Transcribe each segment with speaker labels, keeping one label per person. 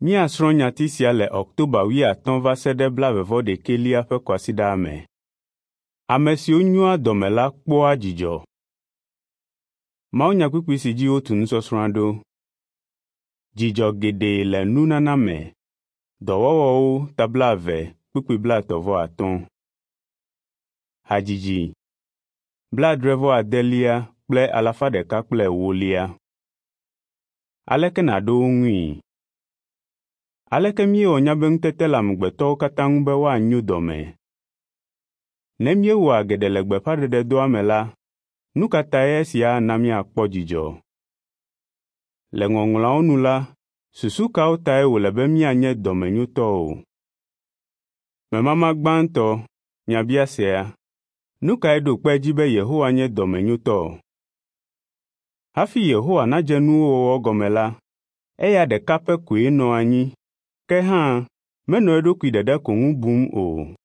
Speaker 1: Míasrɔ̃ nyati sia le Ɔktoba 30 va se ɖe 41 ƒe kwasiɖa me. Ame siwo nyoa dɔme la kpɔa dzidzɔ. Mawunyakpukpui si dzi wotu nusɔsrɔ̃a ɖo. Dzidzɔ geɖe le nunana me. Dɔwɔwɔwo ta 20 kpukpui 35. Hadzidzi 79 kple 104. Aleke nàɖo wo ŋui? Aleke míewɔ nya be ŋutete le amegbetɔwo katã ŋu be woanyo dɔme? Ne míewɔa geɖe le gbeƒãɖeɖedɔa me la, nu ka tae esia ana míakpɔ dzidzɔ? Le Ŋɔŋlɔawo nu la, susu kawo tae wòle be míanye dɔmenyotɔwo? Memama gbãtɔ, nyabiasea. Nu kae ɖo kpe edzi be Yehowa nye dɔmenyotɔ? Hafi Yehowa nadze nuwo wɔwɔ gɔme la, eya ɖeka pɛ koe nɔ anyi, ke hã menɔ eɖokui ɖeɖe ko ŋu bum o.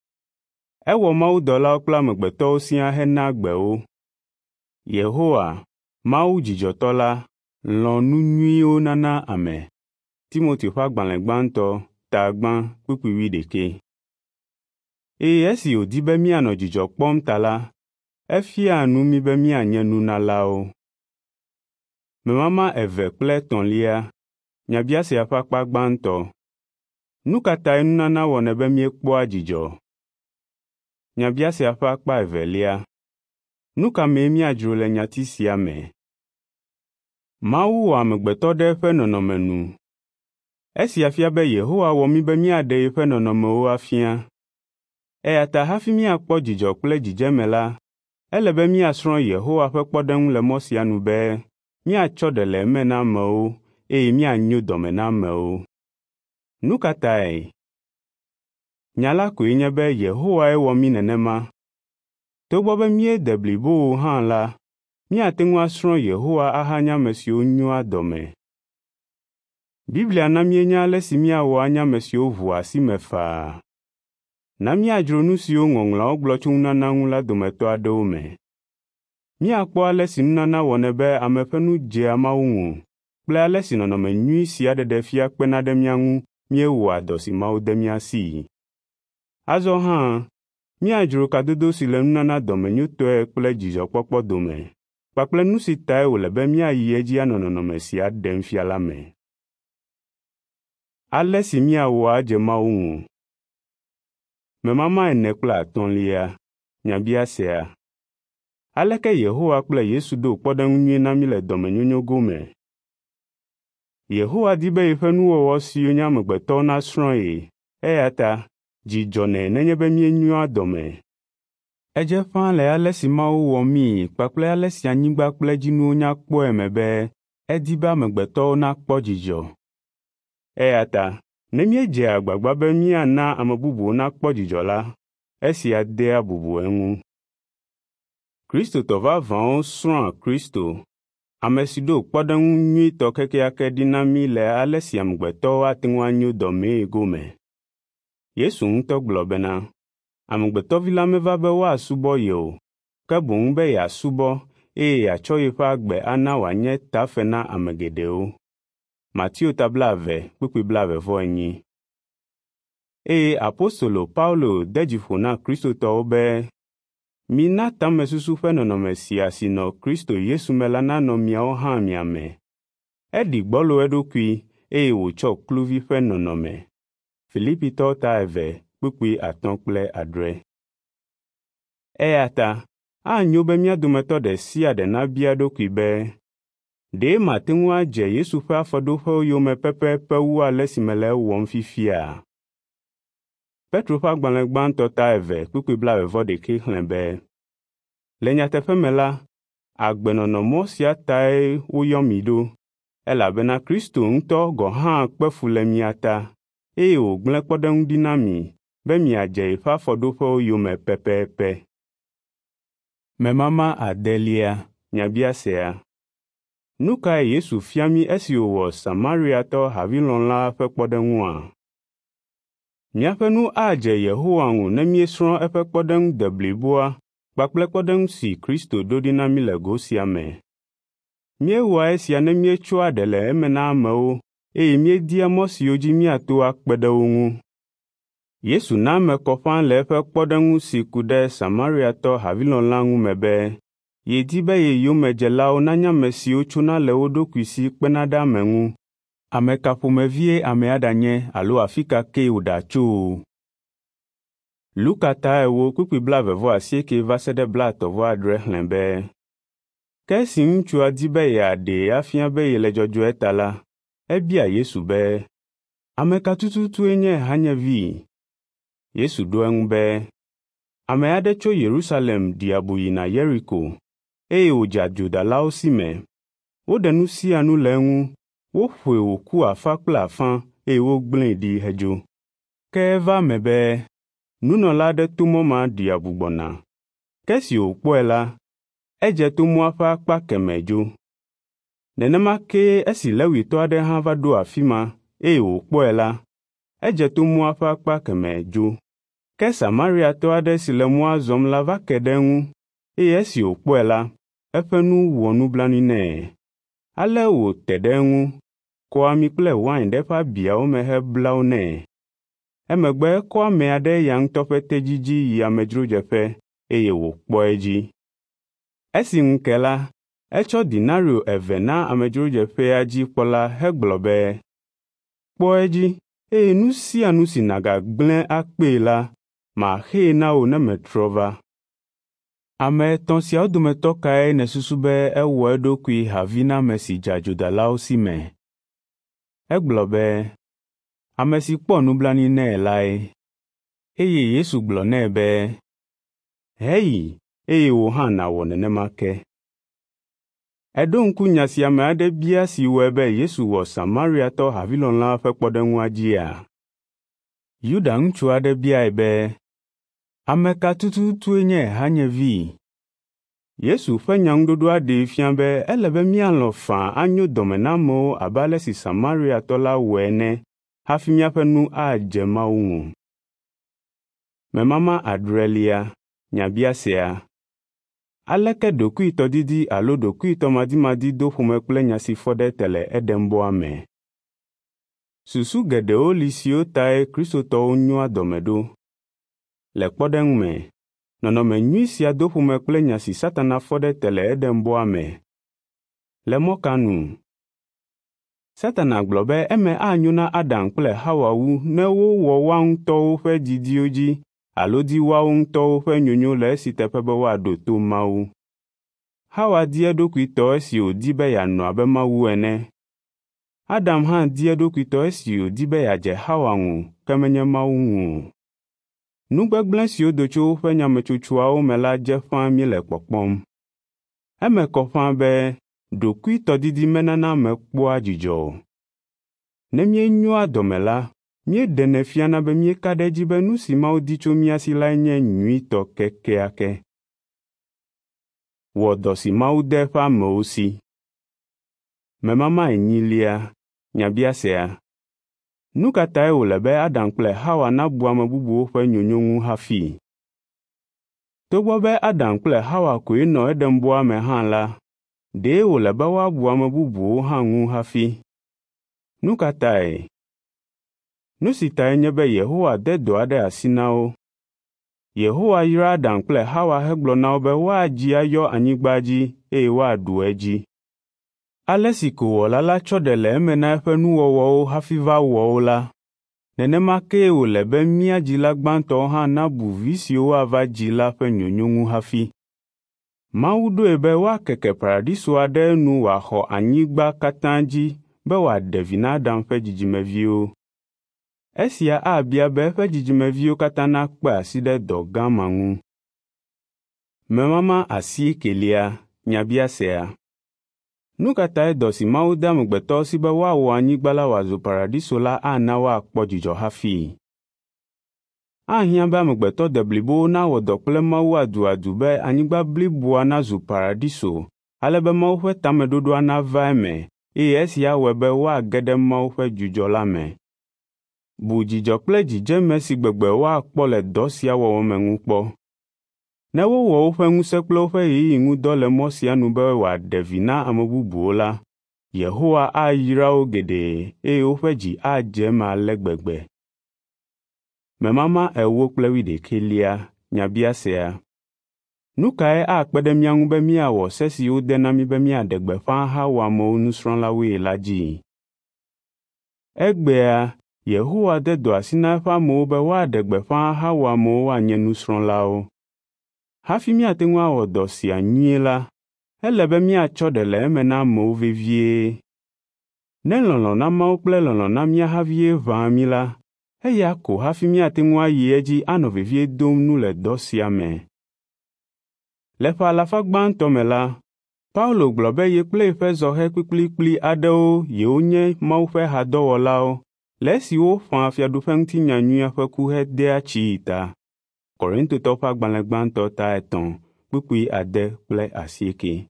Speaker 1: Ewɔ mawudɔlawo kple amegbetɔwo siaa hena gbe wo. Yehowa, Mawu dzidzɔtɔ la, lɔ̃ nu nyuiwo nana ame. Timoteo ƒe agbalẽ gbãtɔ ta 1 kpukpui 21. Eye esi wòdi be míanɔ dzidzɔ kpɔm ta la, efiaa nu mí be míanye nunalawo. Memama eve kple etɔ̃lia, nyabiasea ƒe akpa gbãtɔ. Nu ka tae nunana wɔnɛ be míekpɔa dzidzɔ? Nyabiasea ƒe akpa evelia. Nu ka mee míadzro le nyati sia me? Mawu wɔ amegbetɔ ɖe eƒe nɔnɔme nu. Esia fia be Yehowa wɔ mí be míaɖe yeƒe nɔnɔmewo afia. Eya ta hafi míakpɔ dzidzɔ kple dzidzeme la, ele be míasrɔ̃ Yehowa ƒe kpɔɖeŋu le mɔ sia nu be míatsɔ ɖe le eme na amewo eye míanyo dɔme na amewo. Nu ka tae? Nya la koe nye be Yehowae wɔ mí nenema. Togbɔ be míede blibo o hã la, míate ŋu asrɔ̃ Yehowa ahanye ame siwo nyoa dɔme. Biblia na míenya ale si míawɔ anye ame siwo ʋua asi me faa. Na míadzro nu siwo Ŋɔŋlɔawo gblɔ tso nunana ŋu la dometɔ aɖewo me. Míakpɔ ale si nunana wɔnɛ be ame ƒe nu dzea Mawu ŋu kple ale si nɔnɔme nyui sia ɖeɖe fia kpena ɖe mía ŋu míewɔa dɔ si Mawu de mía sii. Azɔ hã, míadzro kadodo si le nunana dɔmenyotɔe kple dzidzɔkpɔkpɔ dome kpakple nu si tae wòle be míayi edzi anɔ nɔnɔme sia ɖem fia la me. Ale si míawɔ adze Mawu ŋu. Memama ene kple atɔ̃lia, nyabiasea. Aleke Yehowa kple Yesu ɖo kpɔɖeŋu nyui na mí le dɔmenyonyo gome? Yehowa di be yeƒe nuwɔwɔ siwo nye amegbetɔwo nasrɔ̃ ye, eya ta dzi dzɔnɛ nenye be míenyoa dɔme. Edze ƒãa le ale si Mawu wɔ míi kpakple ale si anyigba kple edzinuwo nya kpɔe me be edi be amegbetɔwo nakpɔ dzidzɔ. Eya ta ne míedzea agbagba be míana ame bubuwo nakpɔ dzidzɔ la, esia dea bubu eŋu. Kristotɔ vavãwo srɔ̃a Kristo, ame si ɖo kpɔɖeŋu nyuitɔ kekeake ɖi na mí le ale si amegbetɔwo ate ŋu anyo dɔmee gome. Yesu ŋutɔ gblɔ bena, Amegbetɔvi la meva be woasubɔ ye o, ke boŋ be yeasubɔ eye yeatsɔ yeƒe agbe ana wòanye tafe na ame geɖewo. Mateo ta 20 kpukpui 40. Eye apostolo Paulo de dzi ƒo na Kristotɔwo be, mina tamesusu ƒe nɔnɔme sia si nɔ Kristo Yesu me la nanɔ miawo hã mia me. Eɖi gbɔlo eɖokui eye wòtsɔ kluvi ƒe nɔnɔme. Filipitɔwo ta 2 kpukpui 5 kple 6. Eya ta anyo be mía dometɔ ɖe sia ɖe nabia eɖokui be, ɖe mate ŋu adze Yesu ƒe afɔɖoƒewo yome pɛpɛpɛ wu ale si mele ewɔm fifia? Petro ƒe agbalẽ gbãtɔ ta 2 kpukpui 41 xlẽ be, le nyateƒe me la, agbenɔnɔmɔ sia tae woyɔ mi ɖo, elabena Kristo ŋutɔ gɔ̃ hã kpe fu le mia ta, eye wògblẽ kpɔɖeŋu ɖi na mi be miadze yeƒe afɔɖoƒewo yome pɛpɛpɛ. Memama adelia, nyabiasea. Nu kae Yesu fia mí esi wòwɔ Samariatɔ havilɔ̃la ƒe kpɔɖeŋua? Míaƒe nu adze Yehowa ŋu ne míesrɔ̃ eƒe kpɔɖeŋu debliboa kpakple kpɔɖeŋu si Kristo ɖo ɖi na mí le go sia me. Míewɔa esia ne míetsɔa ɖe le eme na amewo eye míedia mɔ siwo dzi míato akpe ɖe wo ŋu. Yesu na eme kɔ ƒãa le eƒe kpɔɖeŋu si ku ɖe Samariatɔ havilɔ̃la ŋu me be yedi be ye yomedzelawo nanye ame siwo tsona le wo ɖokui si kpena ɖe ame ŋu, ame ka ƒomevie amea ɖanye alo afi ka kee wòɖatso o. Luka ta 4 kpukpui 28 va se ɖe 37 xlẽ be, Ke esi ŋutsua di be yeaɖee afia be yele dzɔdzɔe ta la, ebia Yesu be, “Ame ka tututue nye hanyevi?” Yesu ɖo eŋu be, “Ame aɖe tso Yerusalem ɖi abu yina Yeriko, eye wòdze adzodalawo si me. Woɖe nu sia nu le eŋu, woƒoe wòku afã kple afã eye wogblẽe ɖi hedzo. Ke eva eme be nunɔla aɖe to mɔ ma ɖi abu gbɔna. Ke esi wòkpɔe la, edze to mɔa ƒe akpa kemɛ dzo. Nenema kee esi Levitɔ aɖe hã va ɖo afi ma, eye wòkpɔe la, edze to mɔa ƒe akpa kemɛ dzo. Ke Samariatɔ aɖe si le mɔa zɔm la va ke ɖe eŋu, eye esi wòkpɔe la, eƒe nu wɔ nublanui nɛ. Ale wòte ɖe eŋu, kɔ ami kple wain ɖe eƒe abiawo me hebla wo nɛ. Emegbe ekɔ amea ɖe eya ŋutɔ ƒe tedzi dzi yi amedzrodzeƒe, eye wòkpɔ edzi. Esi ŋu ke la, etsɔ denario 2 na amedzrodzeƒea dzi kpɔla hegblɔ be, ‘Kpɔ edzi, eye nu sia nu si nàgagblẽ akpee la, maxee na wò ne metrɔ va.’ Ame etɔ̃ siawo dometɔ kae nèsusu be ewɔ eɖokui havi na ame si dze adzodalawo si me?” Egblɔ be, “Ame si kpɔ nublanui nɛ lae.” Eye Yesu gblɔ nɛ be, “Heyi, eye wò hã nàwɔ nenema ke.” Èɖo ŋku nya si ame aɖe bia si wɔe be Yesu wɔ Samariatɔ havilɔ̃la ƒe kpɔɖeŋua dzia? Yuda ŋutsu aɖe biae be, “Ame ka tututue nye hanyevi?” Yesu ƒe nyaŋuɖoɖoa ɖee fia be ele be míalɔ̃ faa anyo dɔme na amewo abe ale si Samariatɔ la wɔe ene hafi míaƒe nu adze Mawu ŋu. Memama adrelia nyabiasea. Aleke ɖokuitɔdidi alo ɖokuitɔmadimadi do ƒome kple nya si fɔ ɖe te le Edenbɔa me? Susu geɖewo li siwo tae Kristotɔwo nyoa dɔme ɖo. Le kpɔɖeŋu me, nɔnɔme nyui sia do ƒome kple nya si Satana fɔ ɖe te le Edenbɔa me. Le mɔ ka nu? Satana gblɔ be eme anyo na Adam kple Hawa wu ne wowɔ woa ŋutɔwo ƒe didiwo dzi alo di woawo ŋutɔwo ƒe nyonyo le esi teƒe be woaɖo to Mawu. Hawa di eɖokui tɔ esi wòdi be yeanɔ abe Mawu ene. Adam hã di eɖokui tɔ esi wòdi be yeadze Hawa ŋu ke menye Mawu ŋu o. Nu gbegblẽ siwo do tso woƒe nyametsotsoawo me la dze ƒãa míele kpɔkpɔm. Eme kɔ ƒãa be ɖokuitɔdidi menana ame kpɔa dzidzɔ o. Ne míenyoa dɔme la, míeɖenɛ fiana be míeka ɖe edzi be nu si Mawu di tso mía si lae nye nyuitɔ kekeake. Wɔ dɔ si Mawu de eƒe amewo si. Memama enyilia nyabiasea. Nu ka tae wòle be Adam kple Hawa nabu ame bubuwo ƒe nyonyo ŋu hafi? Togbɔ be Adam kple Hawa koe nɔ Edenbɔa me hã la, ɖe wòle be woabu ame bubuwo hã ŋu hafi. Nu ka tae? Nu si tae nye be Yehowa de dɔ aɖe asi na wo. Yehowa yra Adam kple Hawa hegblɔ na wo be woadzi ayɔ anyigba dzi eye woaɖu edzi. Ale si ko Wɔla la tsɔ ɖe le eme na eƒe nuwɔwɔwo hafi va wɔ wo la, nenema kee wòle be mía dzila gbãtɔwo hã nabu vi siwo woava dzi la ƒe nyonyo ŋu hafi. Mawu ɖoe be woakeke paradisoa ɖe enu wòaxɔ anyigba katã dzi be wòaɖe vi na Adam ƒe dzidzimeviwo. Esia abia be eƒe dzidzimeviwo katã nakpe asi ɖe dɔ gã ma ŋu. Memama asiekelia nyabiasea. Nu ka tae dɔ si Mawu de amegbetɔwo si be woawɔ anyigba la wòazu paradiso la ana woakpɔ dzidzɔ hafi? Ahiã be amegbetɔ deblibowo nawɔ dɔ kple Mawu aduadu be anyigba bliboa nazu paradiso ale be Mawu ƒe tameɖoɖoa nava eme eye esia awɔe be woage ɖe Mawu ƒe dzudzɔ la me. Bu dzidzɔ kple dzidzeme si gbegbe woakpɔ le dɔ sia wɔwɔ me ŋu kpɔ. Ne wowɔ woƒe ŋusẽ kple woƒe ɣeyiɣi ŋu dɔ le mɔ sia nu be wòaɖe vi na ame bubuwo la, Yehowa ayra wo geɖe eye woƒe dzi adze eme ale gbegbe. Memama 41 nyabiasea. Nu kae akpe ɖe mía ŋu be míawɔ se si wode na mí be míaɖe gbeƒã ahawɔ amewo nusrɔ̃lawoe la dzi? Egbea Yehowa de dɔ asi na eƒe amewo be woaɖe gbeƒã ahawɔ amewo woanye nusrɔ̃lawo. Hafi míate ŋu awɔ dɔ sia nyuie la, ele be míatsɔ ɖe le eme na amewo vevie. Ne lɔlɔ̃ na Mawu kple lɔlɔ̃ na mía havie ʋãa mí la, eya ko hafi míate ŋu ayi edzi anɔ vevie dom nu le dɔ sia me. Le ƒe alafa gbãtɔ me la, Paulo gblɔ be ye kple yeƒe zɔhɛ kplikplikpli aɖewo yewonye Mawu ƒe hadɔwɔlawo le esi woƒãa fiaɖuƒeŋutinya nyuia ƒe ku hedea tsii ta. Korintotɔwo ƒe agbalẽ gbãtɔ ta 3 kpukpui 8 kple 8.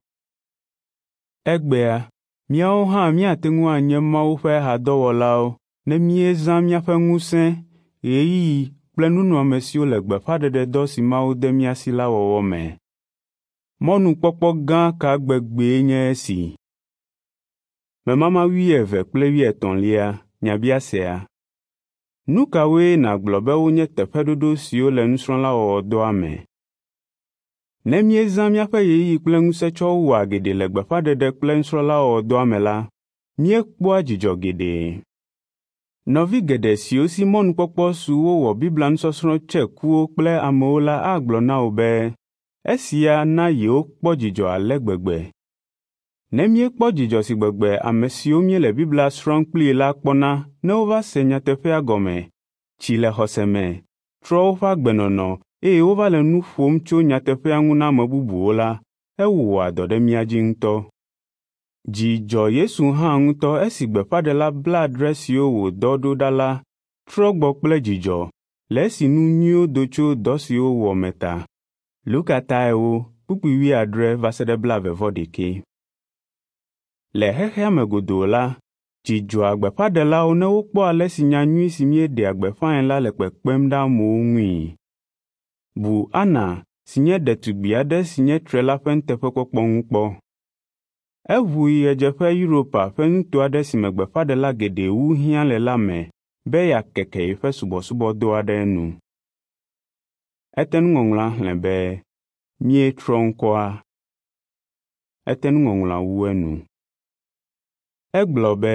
Speaker 1: Egbea, míawo hã míate ŋu anye Mawu ƒe hadɔwɔlawo ne míezã míaƒe ŋusẽ, ɣeyiɣi kple nunɔamesiwo le gbeƒãɖeɖedɔ si Mawu de mía si la wɔwɔ me. Mɔnukpɔkpɔ gã ka gbegbee nye esi! Memama 22 nyabiasea. Nu kawoe nàgblɔ be wonye teƒeɖoɖo siwo le nusrɔ̃lawɔwɔdɔa me? Ne míezã míaƒe ɣeyiɣi kple ŋusẽ tsɔ wɔa geɖe le gbeƒãɖeɖe kple nusrɔ̃lawɔwɔdɔa me la, míekpɔa dzidzɔ geɖe. Nɔvi geɖe siwo si mɔnukpɔkpɔ su wowɔ Biblia nusɔsrɔ̃ tse kuwo kple amewo la agblɔ na wò be esia na yewokpɔ dzidzɔ ale gbegbe. Ne míekpɔ dzidzɔ si gbegbe ame siwo míele Biblia srɔ̃m kplii la kpɔna ne wova se nyateƒea gɔme, tsi le xɔse me, trɔ woƒe agbenɔnɔ eye wova le nu ƒom tso nyateƒea ŋu na ame bubuwo la, ewɔa dɔ ɖe mía dzi ŋutɔ. Dzi dzɔ Yesu hã ŋutɔ esi gbeƒãɖela 70 siwo wòdɔ ɖo ɖa la trɔ gbɔ kple dzidzɔ le esi nu nyuiwo do tso dɔ si wowɔ me ta. Luka ta 4 kpukpui 70 va se ɖe 71. Le xexea me godoo la, dzi dzɔa gbeƒãɖelawo ne wokpɔ ale si nyanyui si míeɖea gbeƒãe la le kpekpem ɖe amewo ŋui. Bu Ana si nye ɖetugbi aɖe si nye tre la ƒe nuteƒekpɔkpɔ ŋu kpɔ. Eʋu yi ɣedzeƒe Europa ƒe nuto aɖe si me gbeƒãɖela geɖe wu hiã le la me be yeakeke yeƒe subɔsubɔdɔa ɖe enu. Etenuŋɔŋlɔa xlẽ be, “Míetrɔ ŋkɔa.” Etenuŋɔŋlɔa wu enu. Egblɔ be,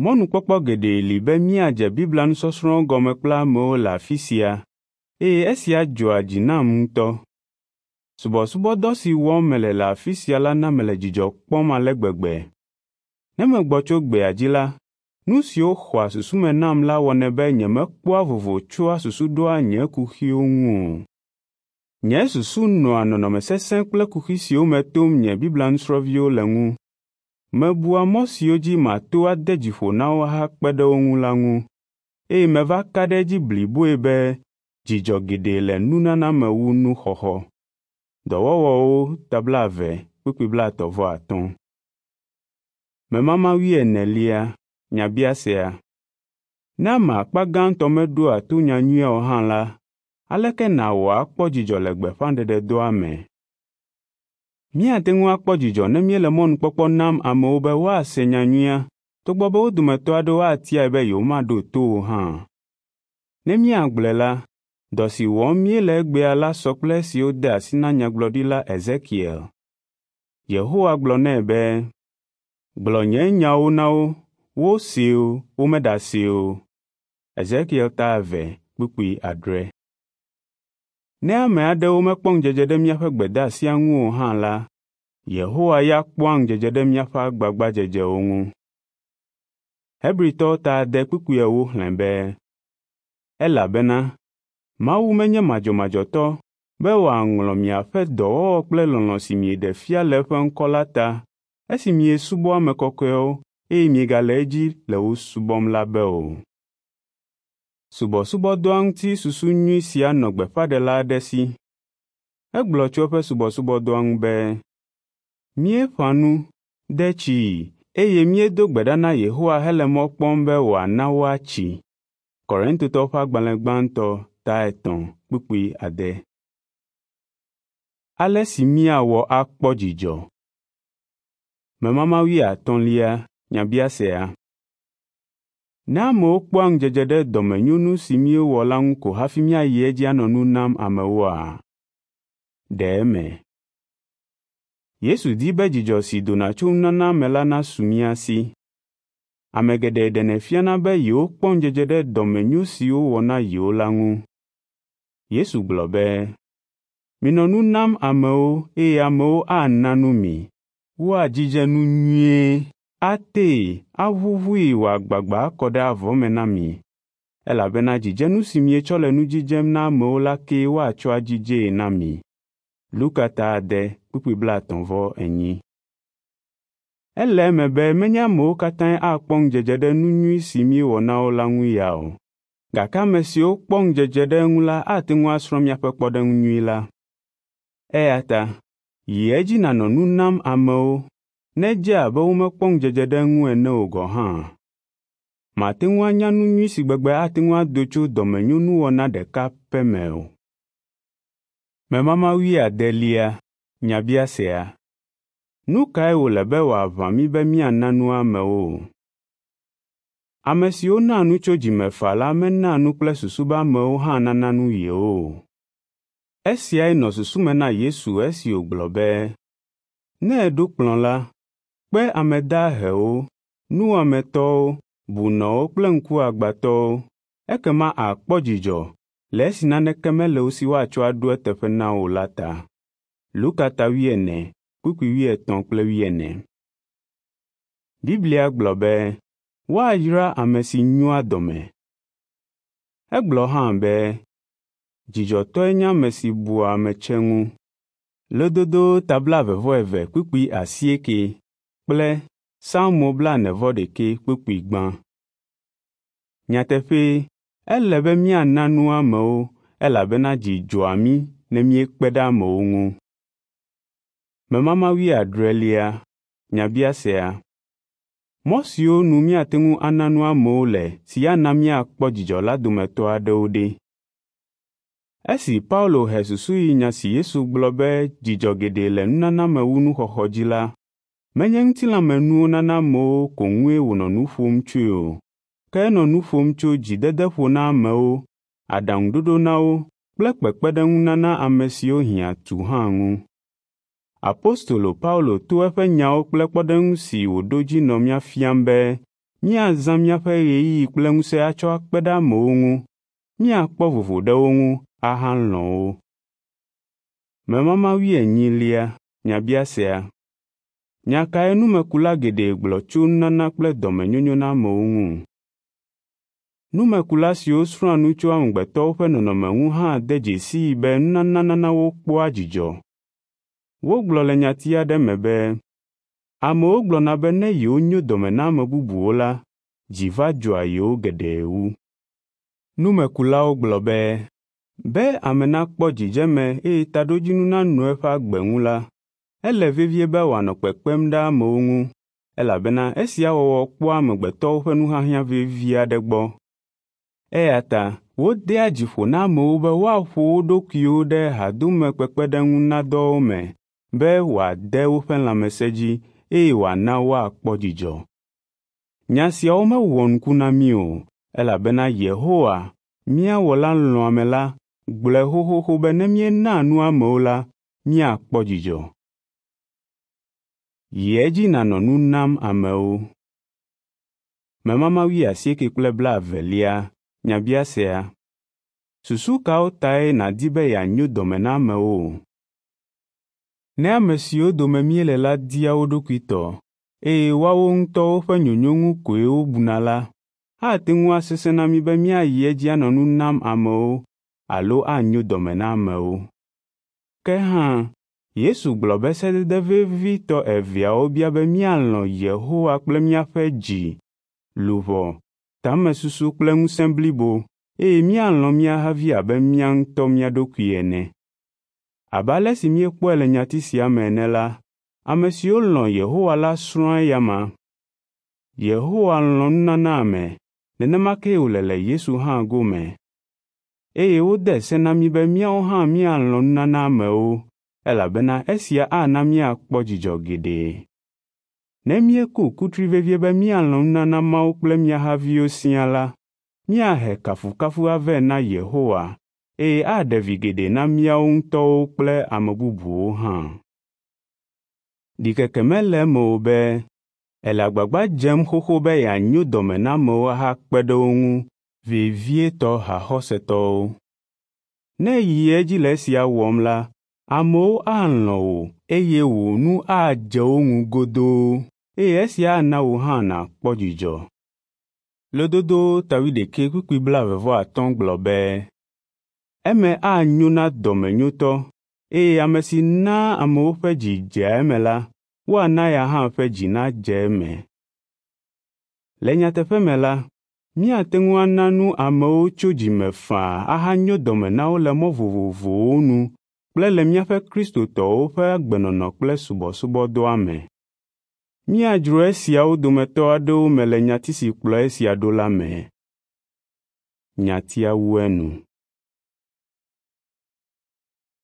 Speaker 1: “Mɔnukpɔkpɔ geɖe li be míadze Biblia nusɔsrɔ̃wo gɔme kple amewo le afi sia eye esia dzɔa dzi nam ŋutɔ. Subɔsubɔdɔ si wɔm mele le afi sia la na mele dzidzɔ kpɔm ale gbegbe. Ne megbɔ tso gbea dzi la, nu siwo xɔa susu me nam la wɔnɛ be nyemekpɔa vovo tsɔa susu ɖoa nye kuxiwo ŋu o. Nye susu nɔa nɔnɔme sesẽ kple kuxi siwo me tom nye Biblia nusrɔ̃viwo le ŋu. Mebua mɔ siwo dzi mato ade dzi ƒo na wo ahakpe ɖe wo ŋu la ŋu, eye meva ka ɖe edzi bliboe be dzidzɔ geɖe le nunana me wu nuxɔxɔ.” Dɔwɔwɔwo ta 20 kpukpui 35. Memama 40 nyabiasea. Ne ame akpa gãtɔ meɖoa to nyanyuia o hã la, aleke nàwɔ akpɔ dzidzɔ le gbeƒãɖeɖedɔa me? Míate ŋu akpɔ dzidzɔ ne míele mɔnukpɔkpɔ nam amewo be woase nyanyuia togbɔ be wo dometɔ aɖewo atiae be yewomaɖo to o hã. Ne míagblɔe la, dɔ si wɔm míele egbea la sɔ kple esi wode asi na nyagblɔɖila Ezekiel. Yehowa gblɔ nɛ be, “Gblɔ nye nyawo na wo, wosee o, womeɖasee o.” Ezekiel ta 2 kpukpui 6. Ne ame aɖewo mekpɔ ŋudzedze ɖe míaƒe gbedeasia ŋu o hã la, Yehowa ya kpɔa ŋudzedze ɖe míaƒe agbagbadzedzewo ŋu. Hebritɔwo ta 6 kpukpui 4 xlẽ be, “Elabena Mawu menye madzɔmadzɔtɔ be wòaŋlɔ miaƒe dɔwɔwɔ kple lɔlɔ̃ si mieɖe fia le eƒe ŋkɔ la ta esi miesubɔ ame kɔkɔewo eye miegale edzi le wo subɔm la be o.” Subɔsubɔdɔa ŋuti susu nyui sia nɔ gbeƒãɖela aɖe si. Egblɔ tso eƒe subɔsubɔdɔa ŋu be, “Míeƒã nu, de tsii, eye míedo gbe ɖa na Yehowa hele mɔ kpɔm be wòana woatsi.” Korintotɔwo ƒe agbalẽ gbãtɔ ta 3 kpukpui 6. Ale si míawɔ akpɔ dzidzɔ. Memama wuiatɔ̃lia nyabiasea. Ne amewo kpɔa ŋudzedze ɖe dɔmenyonu si míewɔ la ŋu ko hafi míayi edzi anɔ nu nam amewoa? Ɖe eme. Yesu di be dzidzɔ si dona tso nunana me la nasu mía si. Ame geɖe ɖenɛ fiana be yewokpɔ ŋudzedze ɖe dɔmenyo si wowɔ na yewo la ŋu. Yesu gblɔ be, “Minɔ nu nam amewo eye amewo ana nu mi. Woadzidze nu nyuie, atee, aʋuʋui wòagbagba akɔ ɖe avɔ me na mi, elabena dzidzenu si mietsɔ le nu dzidzem na amewo la kee woatsɔ adzidzee na mi.” Luka ta 6, kpukpui 34. Ele eme be menye amewo katãe akpɔ ŋudzedze ɖe nu nyui si míewɔ na wo la ŋu ya o, gake ame siwo kpɔ ŋudzedze ɖe eŋu la ate ŋu asrɔ̃ míaƒe kpɔɖeŋu nyui la. Eya ta yi edzi nànɔ nu nam amewo, nedze abe womekpɔ ŋudzedze ɖe eŋu ene o gɔ̃ hã. Màte ŋu anya nu nyui si gbegbe ate ŋu ado tso dɔmenyonuwɔna ɖeka pɛ me o. Memama wuiadelia nyabiasea. Nu kae wòle be wòaʋã mí be míana nu amewo? Ame siwo naa nu tso dzime faa la menaa nu kple susu be amewo hã nana nu yewo o. Esiae nɔ susu me na Yesu esi wògblɔ be, “Ne èɖo kplɔ̃ la, kpe ame dahewo, nuwɔametɔwo, bunɔwo kple ŋkuagbãtɔwo, ekema àkpɔ dzidzɔ le esi naneke mele wo si woatsɔ aɖo eteƒe na wò la ta.” Luka ta 4, kpukpui 34. Biblia gblɔ be woayra ame si nyoa dɔme. Egblɔ hã be dzidzɔtɔe nye ame si bua ame tsɛ ŋu. Lododo ta 22 kpukpui 8 kple Salmo 41 kpukpui 1. Nyateƒee, ele be míana nu amewo elabena dzi dzɔa mí ne míekpe ɖe amewo ŋu. Memama wuiadrelia nyabiasea. Mɔ siwo nu míate ŋu ana nu amewo le si ana míakpɔ dzidzɔ la dometɔ aɖewo ɖe? Esi Paulo he susu yi nya si Yesu gblɔ be dzidzɔ geɖe le nunana me wu nuxɔxɔ dzi la, menye ŋutilãmenuwo nana amewo ko ŋue wònɔ nu ƒom tsoe o, ke enɔ nu ƒom tso dzidedeƒo na amewo, aɖaŋuɖoɖo na wo kple kpekpeɖeŋunana ame siwo hiã tu hã ŋu. Apostolo Paulo to eƒe nyawo kple kpɔɖeŋu si wòɖo dzi nɔ mía fiam be míazã míaƒe ɣeyiɣi kple ŋusẽ atsɔ akpe ɖe amewo ŋu, míakpɔ vovo ɖe wo ŋu ahalɔ̃ wo. Memama wuienyilia nyabiasea. Nya kae numekula geɖe gblɔ tso nunana kple dɔmenyonyo na amewo ŋu? Numekula siwo srɔ̃a nu tso amegbetɔwo ƒe nɔnɔme ŋu hã de dzesii be nunana nana wokpɔa dzidzɔ. Wogblɔ le nyati aɖe me be, amewo gblɔna be ne yewonyo dɔme na ame bubuwo la, dzi va dzɔa yewo geɖe wu. Numekulawo gblɔ be, be ame nakpɔ dzidzeme eye taɖodzinu nanɔ eƒe agbe ŋu la, ele vevie be wòanɔ kpekpem ɖe amewo ŋu, elabena esia wɔwɔ kpɔa amegbetɔwo ƒe nuhiahiã vevi aɖe gbɔ. Eya ta wodea dzi ƒo na amewo be woaƒo wo ɖokuiwo ɖe hadomekpekpeɖeŋunadɔwo me be wòade woƒe lãmesẽ dzi eye wòana woakpɔ dzidzɔ. Nya siawo mewɔ nuku na mí o, elabena Yehowa, mía Wɔla lɔ̃ame la, gblɔe xoxoxo be ne míenaa nu amewo la, míakpɔ dzidzɔ. Yi edzi nànɔ nu nam amewo. Memama 80 kple 20 nyabiasea. Susu kawo tae nàdi be yeanyo dɔme na amewo? Ne ame siwo dome míele la dia wo ɖokui tɔ, eye woawo ŋutɔwo ƒe nyonyo ŋu koe wobuna la, ate ŋu asesẽ na mí be míayi edzi anɔ nu nam amewo alo anyo dɔme na amewo. Ke hã, Yesu gblɔ be sedede vevitɔ eveawo bia be míalɔ̃ Yehowa kple míaƒe dzi, luʋɔ, tamesusu kple ŋusẽ blibo, eye míalɔ̃ mía havi abe mía ŋutɔ mía ɖokui ene. Abe ale si míekpɔe le nyati sia me ene la, ame siwo lɔ̃ Yehowa la srɔ̃a eyama. Yehowa lɔ̃ nunana ame, nenema kee wòle le Yesu hã gome. Eye wode se na mí be míawo hã míalɔ̃ nunana amewo, elabena esia ana míakpɔ dzidzɔ geɖe. Ne míeku kutri vevie be míalɔ̃ nunana Mawu kple mía haviwo siaa la, míahe kafukafu avɛ na Yehowa eye aɖe vi geɖe na míawo ŋutɔwo kple ame bubuwo hã. Ɖikeke mele eme o be èle agbagba dzem xoxo be yeanyo dɔme na amewo ahakpe ɖe wo ŋu, vevietɔ haxɔsetɔwo. Ne èyi edzi le esia wɔm la, amewo alɔ̃ wò eye wò nu adze wo ŋu godoo eye esia ana wò hã nàkpɔ dzidzɔ. Lododo ta 21:25 gblɔ be, “Eme anyo na dɔmenyotɔ eye ame si naa amewo ƒe dzi dzea eme la, woana eya hã ƒe dzi nadze eme.” Le nyateƒe me la, míate ŋu ana nu amewo tso dzi me faa ahanyo dɔme na wo le mɔ vovovowo nu kple le míaƒe Kristotɔwo ƒe agbenɔnɔ kple subɔsubɔdɔa me. Míadzro esiawo dometɔ aɖewo me le nyati si kplɔ esia ɖo la me. Nyatia wu enu.